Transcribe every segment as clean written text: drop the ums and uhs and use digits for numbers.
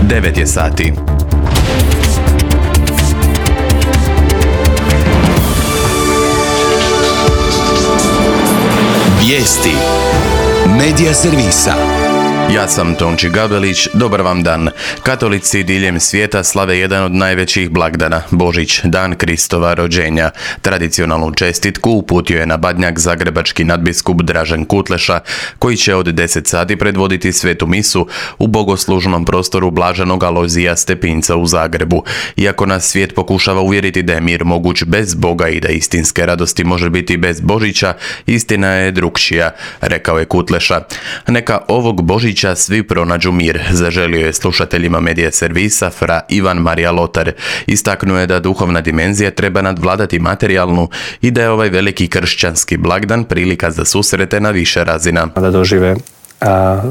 9 je sati. Vijesti Medija servisa. Ja sam Tonči Gabelić, dobar vam dan. Katolici diljem svijeta slave jedan od najvećih blagdana, Božić, dan Kristova rođenja. Tradicionalnu čestitku uputio je na Badnjak zagrebački nadbiskup Dražen Kutleša, koji će od 10 sati predvoditi svetu misu u bogoslužnom prostoru Blaženog Alojzija Stepinca u Zagrebu. Iako nas svijet pokušava uvjeriti da je mir moguć bez Boga i da istinske radosti može biti bez Božića, istina je drukčija, rekao je Kutleša. Neka ovog Božića svi pronađu mir, zaželio je slušateljima medija servisa fra Ivan Marija Lotar. Istaknuo je da duhovna dimenzija treba nadvladati materijalnu i da je ovaj veliki kršćanski blagdan prilika za susrete na više razina. Da dožive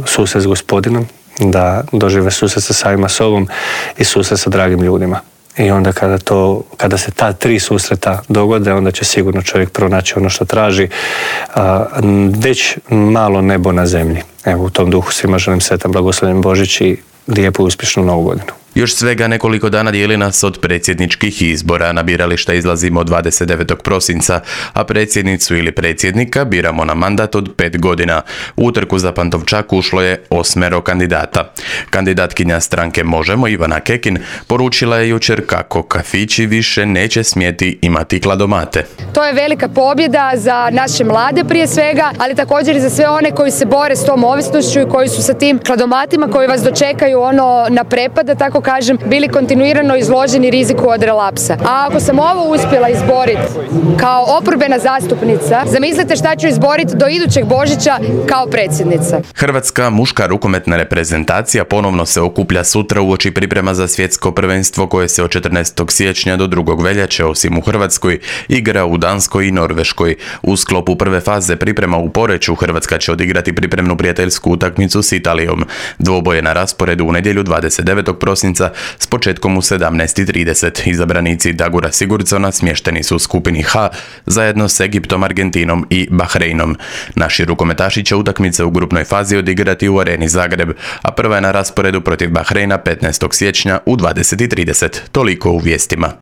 susret s Gospodinom, da dožive susret sa samima sobom i susret sa dragim ljudima. I onda kada se ta tri susreta dogode, onda će sigurno čovjek pronaći ono što traži, već malo nebo na zemlji. Evo, u tom duhu svima želim sretan blagoslovljen Božić i lijepu i uspješnu Novu godinu. Još svega nekoliko dana dijeli nas od predsjedničkih izbora. Na birališta izlazimo 29. prosinca, a predsjednicu ili predsjednika biramo na mandat od 5 godina. U utrku za Pantovčak ušlo je 8 kandidata. Kandidatkinja stranke Možemo, Ivana Kekin, poručila je jučer kako kafići više neće smjeti imati kladomate. To je velika pobjeda za naše mlade prije svega, ali također i za sve one koji se bore s tom ovisnošću i koji su sa tim kladomatima koji vas dočekaju na prepad, da tako kažem, bili kontinuirano izloženi riziku od relapsa. A ako sam ovo uspjela izboriti kao oporbena zastupnica, zamislite šta ću izboriti do idućeg Božića kao predsjednica. Hrvatska muška rukometna reprezentacija ponovno se okuplja sutra uoči priprema za svjetsko prvenstvo koje se od 14. siječnja do 2. veljače, osim u Hrvatskoj, igra u Danskoj i Norveškoj. U sklopu prve faze priprema u Poreču Hrvatska će odigrati pripremnu prijateljsku utakmicu s Italijom. Dvoboj je na rasporedu u nedjelju 29. prosinca s početkom u 17:30. Izabranici Dagura Sigurdsona smješteni su u skupini H zajedno s Egiptom, Argentinom i Bahreinom. Naši rukometaši će utakmice u grupnoj fazi odigrati u Areni Zagreb, a prva je na rasporedu protiv Bahreina 15. siječnja u 20:30. Toliko u vijestima.